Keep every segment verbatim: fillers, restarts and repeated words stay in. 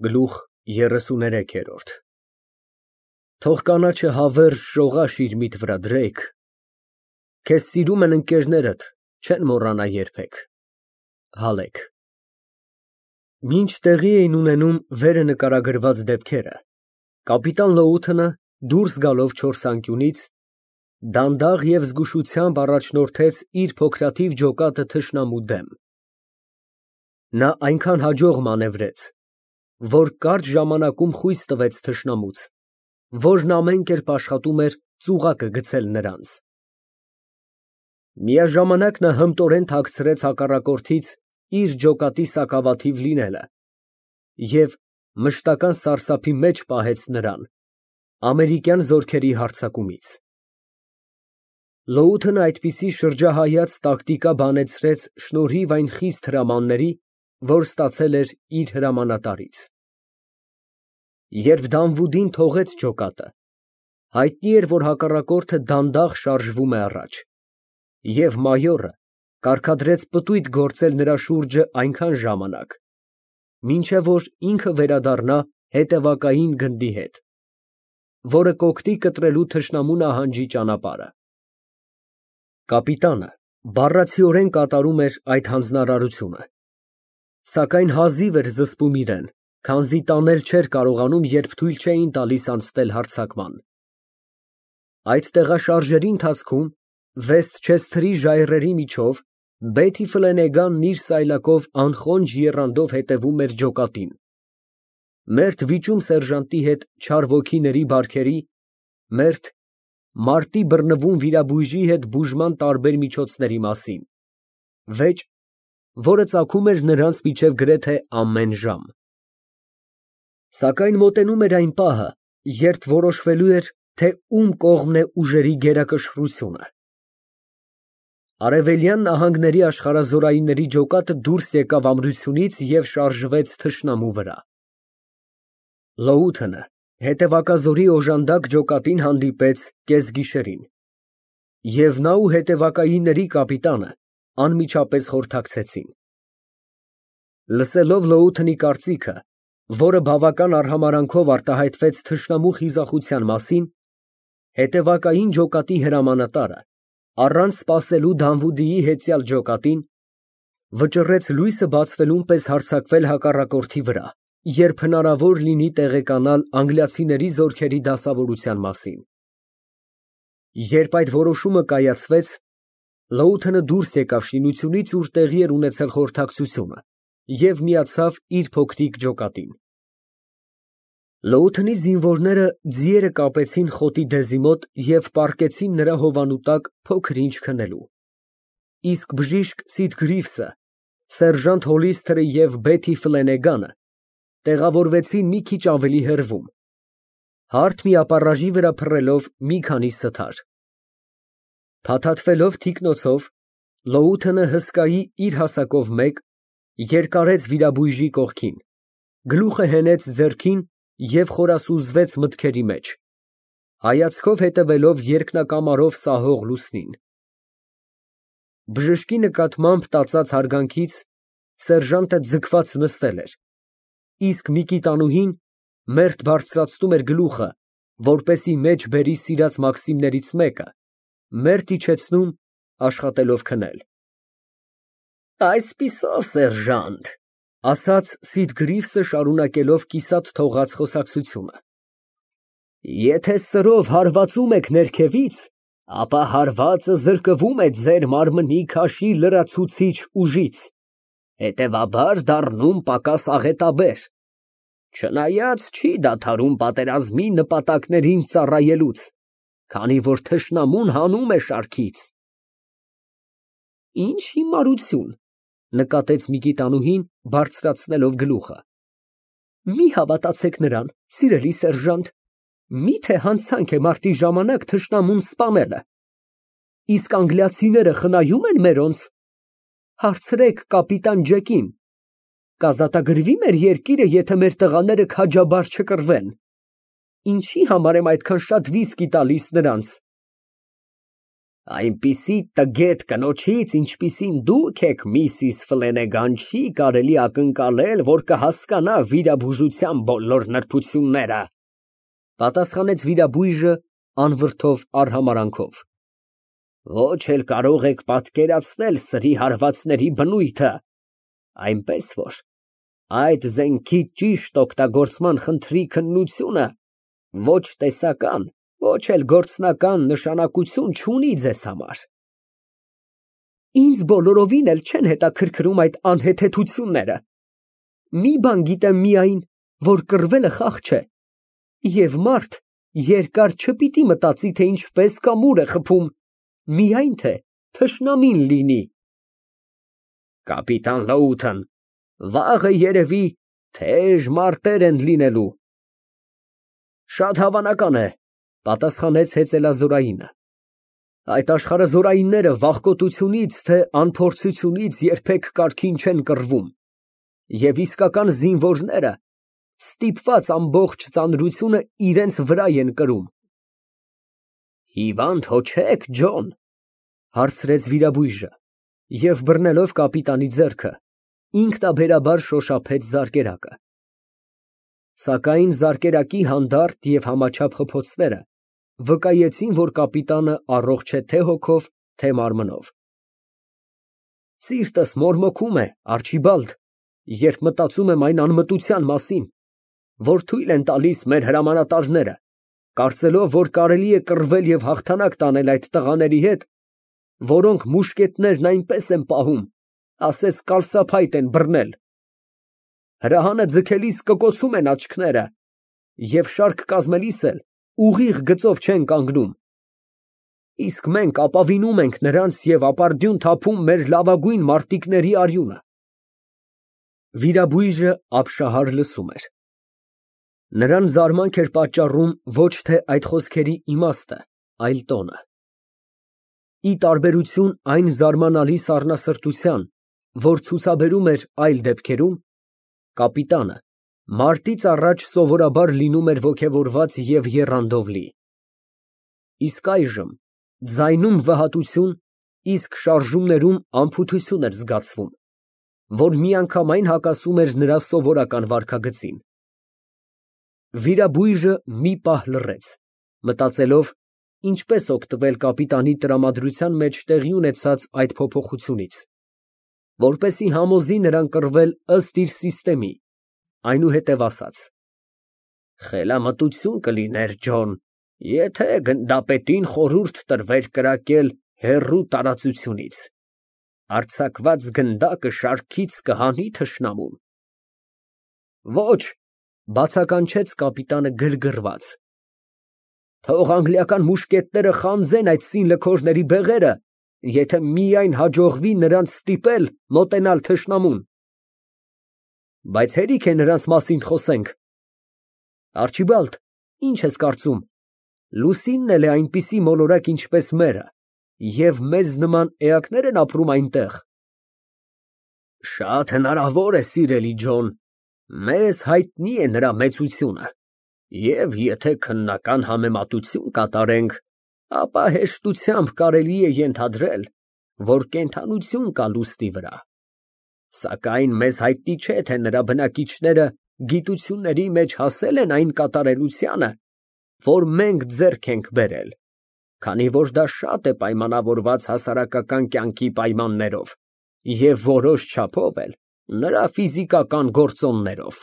Գլուխ երեսուներեք։ Թող կանաչը հավերժ շողա շիրմիդ վրա, Դրեյք, քեզ սիրում են ընկերներդ, չեն մոռանա երբեք։ Հալեք։ Մինչ տեղի էին ունենում վերը նկարագրված դեպքերը, կապիտան Լոութընը դուրս գալով չորսանկյունից դանդաղ և զգուշությամբ առաջնորդեց իր փոքրաթիվ ջոկատը թշնամու դեմ։ Նա այնքան հաջող մանևրեց, որ կարճ ժամանակում խույս տվեց թշնամուց, որն ամեն կերպ աշխատում էր ծուղակը գցել նրանց։ Միաժամանակ նա հմտորեն թաքցրեց հակառակորդից իր ջոկատի սակավաթիվ լինելը և մշտական սարսափի մեջ պահեց նրան ամերիկյան զորքերի հարձակումից։ Լոութընը այդպիսի շրջահայաց տակտիկա բանեցրեց շնորհիվ այն խիստ հրամանների, որ ստացել էր իր հրամանատարից։ Երբ Դանվուդին թողեց ջոկատը, հայտնի էր, որ հակառակորդը դանդաղ շարժվում է առաջ, և մայորը կարգադրեց պտույտ գործել նրա շուրջը այնքան ժամանակ, մինչև որ ինքը վերադառնա հետևակային գնդի հետ, որը կօգնի կտրելու թշնամու նահանջի ճանապարհը։ Կապիտանը բառացիորեն կատարում էր այդ հանձնարարությունը, սակայն հազիվ էր զսպում իրեն, քանզի տանել չէր կարողանում, երբ թույլ չէին տալիս անցնել հարձակման։ Այդ տեղաշարժերի ընթացքում Վեսթչեսթերի ժայռերի միջով Բեթի Ֆլենեգանն իր սայլակով անխոնջ եռանդով հետևում էր ջոկատին, մերթ վիճում սերժանտի հետ չար ոգիների բարքերի, մերթ մարտի բռնվում վիրաբույժի հետ բուժման տարբեր միջոցների մասին, վեճ, որը ծագում էր նրանց միջև գրեթե ամեն ժամ։ Սակայն մոտենում էր այն պահը, երբ որոշվելու էր, թե ում կողմն է ուժերի գերակշռությունը։ Արևելյան նահանգների աշխարհազորայինների ջոկատը դուրս եկավ ամրությունից և շարժվեց թշնամու վրա։ Լոութընը հետևակազորի օժանդակ ջոկատին հանդիպեց կեսգիշերին, և նա ու հետևակայինների կապիտանը անմիջապես խորհրդակցեցին։ Լսելով Լոութընի կարծիքը, որը բավական արհամարհանքով արտահայտվեց թշնամու խիզախության մասին, հետևակային ջոկատի հրամանատարը, առանց սպասելու Դանվուդիի հեծյալ ջոկատին, վճռեց լույսը բացվելուն պես հարձակվել հակառակորդի վրա, երբ հնարավոր լինի տեղեկանալ անգլիացիների զորքերի դասավորության մասին։ Երբ այդ որոշումը կայացվեց, Լոութընը դուրս եկավ շինությունից, ուր տեղի էր ունեցել խորհրդակցությունը, և միացավ իր փոքրիկ ջոկատին։ Լոութընի զինվորները ձիերը կապեցին խոտի դեզի մոտ և պառկեցին նրա հովանու տակ փոքր-ինչ քնելու, իսկ բժիշկ Սիթգրիվսը, սերժանտ Հոլիսթերը և Բեթի Ֆլենեգանը տեղավորվեցին մի քիչ ավելի հեռվում, հարթ մի ապառաժի վրա փռելով մի քանի սթար։ Փաթաթվելով թիկնոցով, Լոութընը հսկայի իր հասակով մեկ երկարեց վիրաբույժի կողքին, գլուխը հենեց ձեռքին և խորասուզվեց մտքերի մեջ, հայացքով հետևելով երկնակամարով սահող լուսնին։ Բժշկի նկատմամբ տածած հարգանքից սերժանտը ձգված նստել էր, իսկ Միկիտանուհին մերթ բարձրացնում էր գլուխը, որպեսզի մեջ բերի սիրած մաքսիմներից մեկը, մերթ իջեցնում, աշխատելով քնել։ Այսպիսով, սերժանտ, ասաց Սիթգրիվսը, շարունակելով կիսատ թողած խոսակցությունը, եթե սրով հարվածում եք ներքևից, ապա հարվածը զրկվում է ձեր մարմնի քաշի լրացուցիչ ուժից, հետևաբար դառնում պակաս աղետաբեր, չնայած չի դադարում պատերազմի նպատակներին ծառայելուց, քանի որ թշնամուն հանում է շարքից։ Ինչ հիմարություն, նկատեց Միկիտանուհին, բարձրացնելով գլուխը։ Մի հավատացեք նրան, սիրելի սերժանտ, միթե հանցանք է մարտի ժամանակ թշնամուն սպանելը, իսկ անգլիացիները խնայո՞ւմ են մերոնց։ Հարցրեք կապիտան Ջեկին, կազատագրվի՞ մեր երկիրը, եթե մեր տղաները քաջաբար չկռվեն։ Ինչի համար եմ այդքան շատ վիսկի տալիս նրանց։ Այնպիսի տգետ կնոջից, ինչպիսին դուք եք, Միսիս Ֆլենեգան, չի կարելի ակնկալել, որ կհասկանա վիրաբուժության բոլոր նրբությունները, պատասխանեց վիրաբույժը անվրդով արհամարանքով։ Ոչ էլ կարող եք պատկերացնել սրի հարվածների բնույթը, այնպես որ այդ զենքի ճիշտ օգտագործման խնդրի քննությունը ոչ տեսական, ոչ էլ գործնական նշանակություն չունի ձեզ համար։ Ինձ բոլորովին էլ չեն հետաքրքրում այդ անհեթեթությունները։ Մի բան գիտեմ միայն, որ կռվելը խաղ չէ, և մարդ երկար չպիտի մտածի, թե ինչպես կամուր է խփում, միայն թե թշնամին լինի։ Կապիտան Լոութոն, վաղը երևի թեժ մարտեր են լինելու։ Շատ հավանական է, պատասխանեց հեծելազորայինը։ Այդ աշխարհազորայինները վախկոտությունից, թե անփորձությունից երբեք կարգին չեն կռվում, և իսկական զինվորները ստիպված ամբողջ ծանրությունը իրենց վրա են կրում։ Հիվանդ հո չե՞ք, Ջոն, հարցրեց վիրաբույժը, և բռնելով կապիտանի ձեռքը, ինքնաբերաբար շոշափեց զարկերակը։ Սակայն զարկերակի հանդարտ և համաչափ խփոցները վկայեցին, որ կապիտանը առողջ է թե հոգով, թե մարմնով։ Սիրտս մորմոքում է, Արչիբալդ, երբ մտածում եմ այն անմտության մասին, որ թույլ են տալիս մեր հրամանատարները, կարծելով, որ կարելի է կռվել և հաղթանակ տանել այդ տղաների հետ, որոնք մուշկետներն այնպես են պահում, ասես կալսափայտ են բռնել։ Հրահանը ձգելիս կկոցում են աչքները և շարք կազմելիս էլ ուղիղ գծով չեն կանգնում։ Իսկ մենք ապավինում ենք նրանց և ապարդյուն թափում մեր լավագույն մարտիկների արյունը։ Վիրաբույժը ապշահար լսում էր։ Նրան զարմանք էր պատճառում ոչ թե այդ խոսքերի իմաստը, այլ տոնը։ Ի տարբերություն այն զարմանալի սառնասրտության, որ ցուցաբերում էր այլ դեպքերում, կապիտանը մարտից առաջ սովորաբար լինում էր ոգևորված և եռանդով լի։ Իսկ այժմ ձայնում վհատություն, իսկ շարժումներում անփութություն էր զգացվում, որ միանգամայն հակասում էր նրա սովորական վարքագծին։ Վիրաբույժը մի պահ լռեց, մտածելով ինչպես օգտվել կապիտանի տրամադրության մեջ տեղի ունեցած այդ փոփոխությունից, որպեսզի համոզի նրան կռվել ըստ իր սիստեմի, այնուհետև ասաց. Խելամտություն կլիներ, Ջոն, եթե գնդապետին խորհուրդ տրվեր կրակել հեռու տարածությունից, արձակված գնդակը շարքից կհանի թշնամուն։ Ոչ, բացականչեց կապիտանը գրգռված։ Թող անգլիական մուշկետները խանձեն այդ սինլքորների բեղերը, եթե միայն հաջողվի նրանց ստիպել մոտենալ թշնամուն։ Բայց հերիք է նրանց մասին խոսենք։ Արչիբալդ, ինչ ես կարծում, Լուսինն էլ է այնպիսի մոլորակ, ինչպես մերը, և մեզ նման էակնե՞ր են ապրում այնտեղ։ Շատ հնարավոր է, սիրելի Ջոն, մեզ հայտնի է նրա մեծությունը, և եթե քննական համեմատություն կատարենք, ապա հեշտությամբ կարելի է ենթադրել, որ կենդանություն կա լուստի վրա, սակայն մեզ հայտնի չէ, թե նրա բնակիչները գիտությունների մեջ հասել են այն կատարելությանը, որ մենք ձեռք ենք բերել, քանի որ դա շատ է պայմանավորված հասարակական կյանքի պայմաններով և որոշ չափով էլ նրա ֆիզիկական գործոններով։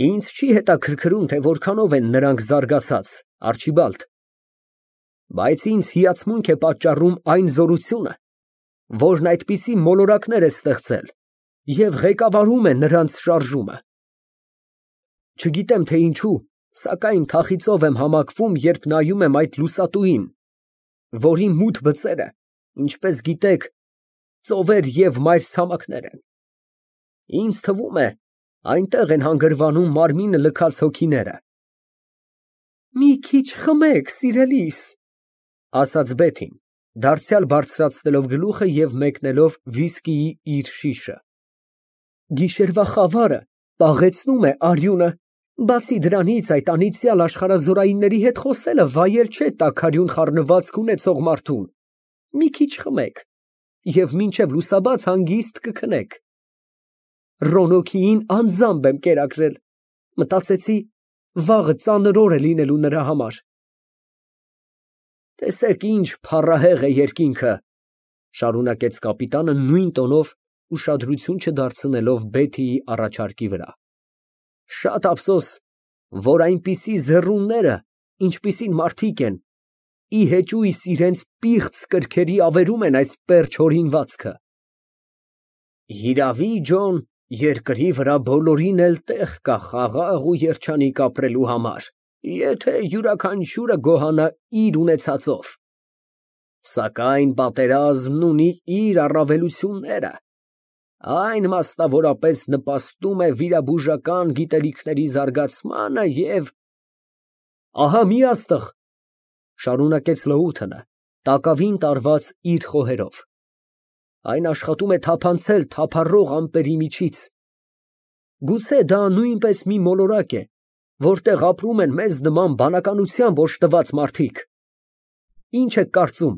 Ինձ չի հետաքրքրում, թե որքանով են նրանք զարգացած, Արչիբալդ, բայց ինձ հիացմունք է պատճառում այն զորությունը, որն այդպիսի մոլորակներ է ստեղծել և ղեկավարում է նրանց շարժումը։ Չգիտեմ, թե ինչու, սակայն թախիծով եմ համակվում, երբ նայում եմ այդ լուսատուին, որի մութ բծերը, ինչպես գիտեք, ծովեր և մայրցամաքներ են։ Ինձ թվում է, այնտեղ են հանգրվանում մարմինը լքած հոգիները։ Մի քիչ խմեք, սիրելիս, ասաց Բեթին, դարձյալ բարձրացնելով գլուխը և մեկնելով վիսկիի իր շիշը։ Գիշերվա խավարը պաղեցնում է արյունը Բացի դրանից, այդ անիծյալ աշխարհազորայինների հետ խոսելը վայել չէ տաքարյուն խառնվածք ունեցող մարդուն։ Մի քիչ խմեք և մինչև լուսաբաց հանգիստ կքնեք։ Ռոնոքիին անձամբ եմ կերակրել, մտածեցի, վաղը ծանր օր է լինելու նրա համար։ Տեսեք ինչ փառահեղ է երկինքը, շարունակեց կապիտանը նույն տոնով, ուշադրություն չդարձնելով Բեթիի առաջարկի վրա։ Շատ ափսոս, որ այնպիսի ձեռունները, ինչպիսին մարդիկ են, ի հեճույս իրենց պիղծ կրքերի ավերում են այս պերճ հորինվածքը։ Հիրավի, Ջոն, երկրի վրա բոլորին էլ տեղ կա խաղաղ ու երջանիկ ապրելու համար, եթե յուրաքանչյուրը գոհանա իր ունեցածով։ Սակայն պատերազմն ունի իր առավելությունները, այն մասնավորապես նպաստում է վիրաբուժական գիտելիքների զարգացմանը և… Ահա մի աստղ, շարունակեց Լոութենը, տակավին տարված իր խոհերով, այն աշխատում է թափանցել թափառող ամպերի միջից։ Գուցե դա նույնպես մի մոլորակ է, որտեղ ապրում են մեզ նման բանականությամբ օժտված մարդիկ։ Ինչ եք կարծում,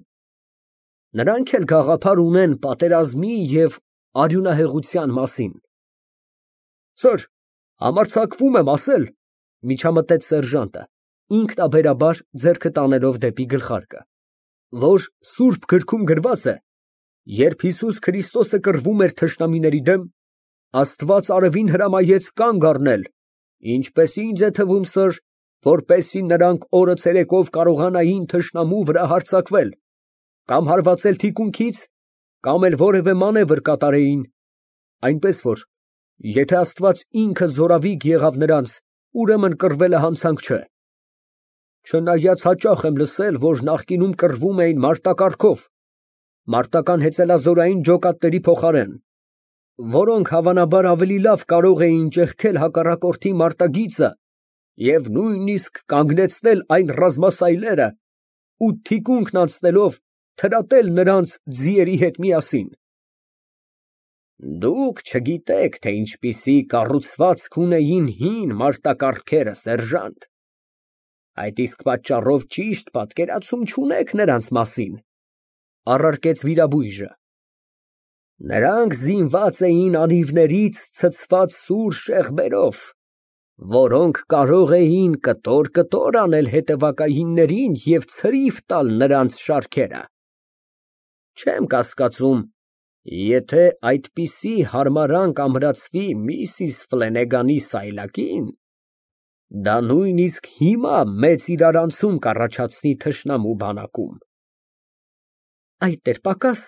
նրանք էլ գաղափար ունեն պատերազմի և արյունահեղության մասին։ Սըր, համարձակվում եմ ասել, միջամտեց սերժանտը, ինքնաբերաբար ձեռքը տանելով դեպի գլխարկը, որ Սուրբ գրքում գրված է, երբ Հիսուս Քրիստոսը կռվում էր թշնամիների դեմ, Աստված արևին հրամայեց կանգ առնել, ինչպես ինձ է թվում, սըր, որպեսզի նրանք օրը ցերեկով կարողանային թշնամու վրա հարձակվել, կամ հարվածել թիկունքից, կամ էլ որևէ մանևր կատարեին, այնպես որ, եթե Աստված ինքը զորավիգ եղավ նրանց, ուրեմն կռվելը հանցանք չէ։ Չնայած հաճախ եմ լսել, որ նախկինում կռվում էին մարտակառքով, մարտական հեծելազորային ջոկատների փոխարեն, որոնք հավանաբար ավելի լավ կարող էին ճեղքել հակառակորդի մարտագիծը և նույնիսկ կանգնեցնել այն ռազմասայլերը ու թիկունքն անցնելով թրատել նրանց ձիերի հետ միասին։ Դուք չգիտեք, թե ինչպիսի կառուցվածք ունեին հին մարտակառքերը, սերժանտ, այդ իսկ պատճառով ճիշտ պատկերացում չունեք նրանց մասին, առարկեց վիրաբույժը։ Նրանք զինված էին անիվներից ցցված սուր շեղբերով, որոնք կարող էին կտոր֊կտոր անել հետևակայիններին և ցրիվ տալ նրանց շարքերը։ Չեմ կասկածում, եթե այդպիսի հարմարանք ամրացվի միսիս Ֆլենեգանի սայլակին, դա նույնիսկ հիմա մեծ իրարանցում կառաջացնի թշնամու բանակում։ Այդ էր պակաս,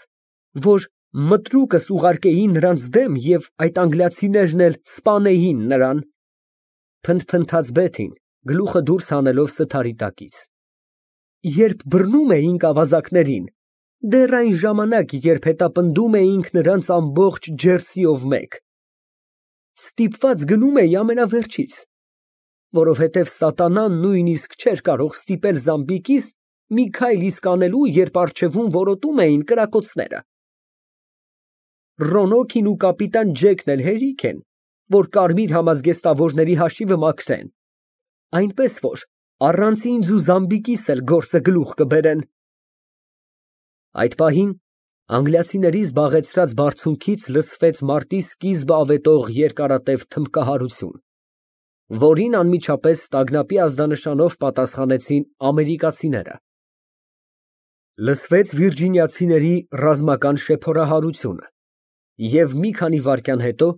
որ մտրուկս ուղարկեին նրանց դեմ և այդ անգլիացիներն էլ սպանեին նրան, փնթփնթաց Բեթին, գլուխը դուրս հանելով սթարի տակից։ Երբ բռնում էինք ավազակներին, դեռ այն ժամանակ, երբ հետապնդում էինք նրանց ամբողջ ջերսիով մեկ, ստիպված գնում էի ամենավերջից, որովհետև սատանան նույնիսկ չէր կարող ստիպել Զամբիկիս մի քայլ իսկ անելու, երբ առջևում որոտում էին կրակոցները։ Ռոնոքին ու կապիտան Ջեկն էլ հերիք են, որ կարմիր համազգեստավորների հաշիվը մաքրեն, այնպես որ առանց ինձ ու Զամբիկիս էլ գործը գլուխ կբերեն։ Այդ պահին անգլիացիների զբաղեցրած բարձունքից լսվեց մարտի սկիզբը ավետող երկարատև թմբկահարություն, որին անմիջապես տագնապի ազդանշանով պատասխանեցին ամերիկացիները։ Լսվեց վիրջինիացիների ռազմական շեփորահարությունը, և մի քանի վայրկյան հետո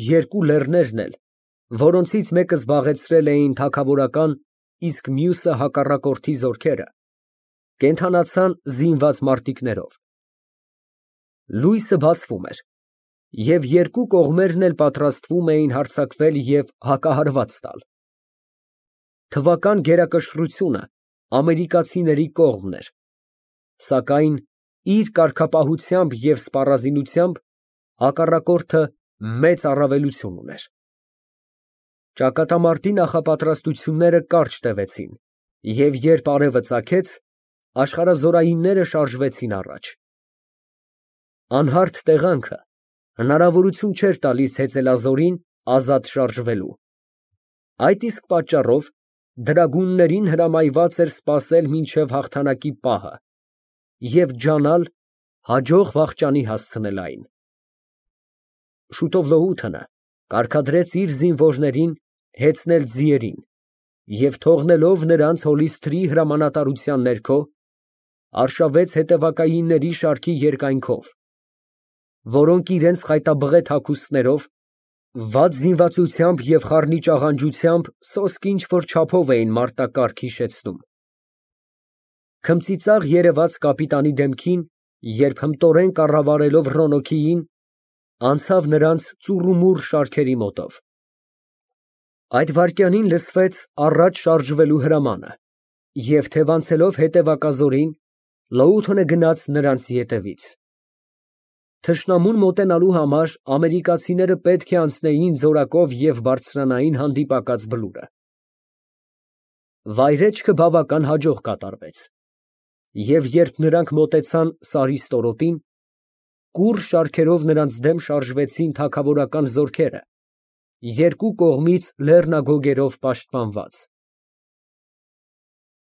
երկու լեռներն էլ, որոնցից մեկը զբաղեցրել էին թագավորական, իսկ մյուսը հակառակորդի զորքերը, կենդանացան զինված մարտիկներով։ Լույսը բացվում էր, և երկու կողմերն էլ պատրաստվում էին հարձակվել և հակահարված տալ։ Թվական գերակշռությունը ամերիկացիների կողմն էր, սակայն իր կարգապահությամբ և սպառազինությամբ հակառակորդը մեծ առավելություն ուներ։ Ճակատամարտի նախապատրաստությունները կարճ տևեցին, և երբ արևը ծագեց, աշխարհազորայինները շարժվեցին առաջ։ Անհարթ տեղանքը հնարավորություն չէր տալիս հեծելազորին ազատ շարժվելու։ Այդ իսկ պատճառով դրագուններին հրամայված էր սպասել մինչև հաղթանակի պահը և ջանալ հաջող վախճանի հասցնել այն։ Շուտով Լոութը կարգադրեց իր զինվորներին հեծնել ձիերին և թողնելով նրանց հոլիսթրի հրամանատարության ներքո, արշավեց հետևակայինների շարքի երկայնքով, որոնք իրենց խայտաբղետ հագուստներով, վատ զինվածությամբ և խառնիչ աղանջությամբ սոսկ ինչ֊որ չափով էին մարտակառք հիշեցնում։ Քմծիծաղ երևաց կապիտանի դեմքին, երբ հմտորեն կառավարելով Ռոնոքիին, անցավ նրանց ծուռումուռ շարքերի մոտով։ Այդ վայրկյանին լսվեց առաջ շարժվելու հրամանը, և թևանցելով հետևակազորին, Լոութը գնաց նրանց ետևից։ Թշնամուն մոտենալու համար ամերիկացիները պետք է անցնեին ձորակով և բարձրանային հանդիպակաց բլուրը։ Վայրէջքը բավական հաջող կատարվեց, և երբ նրանք մոտեցան սարի ստորոտին, կուռ շարքերով նրանց դեմ շարժվեցին թագավորական զորքերը, երկու կողմից լեռնագոգերով պաշտպանված։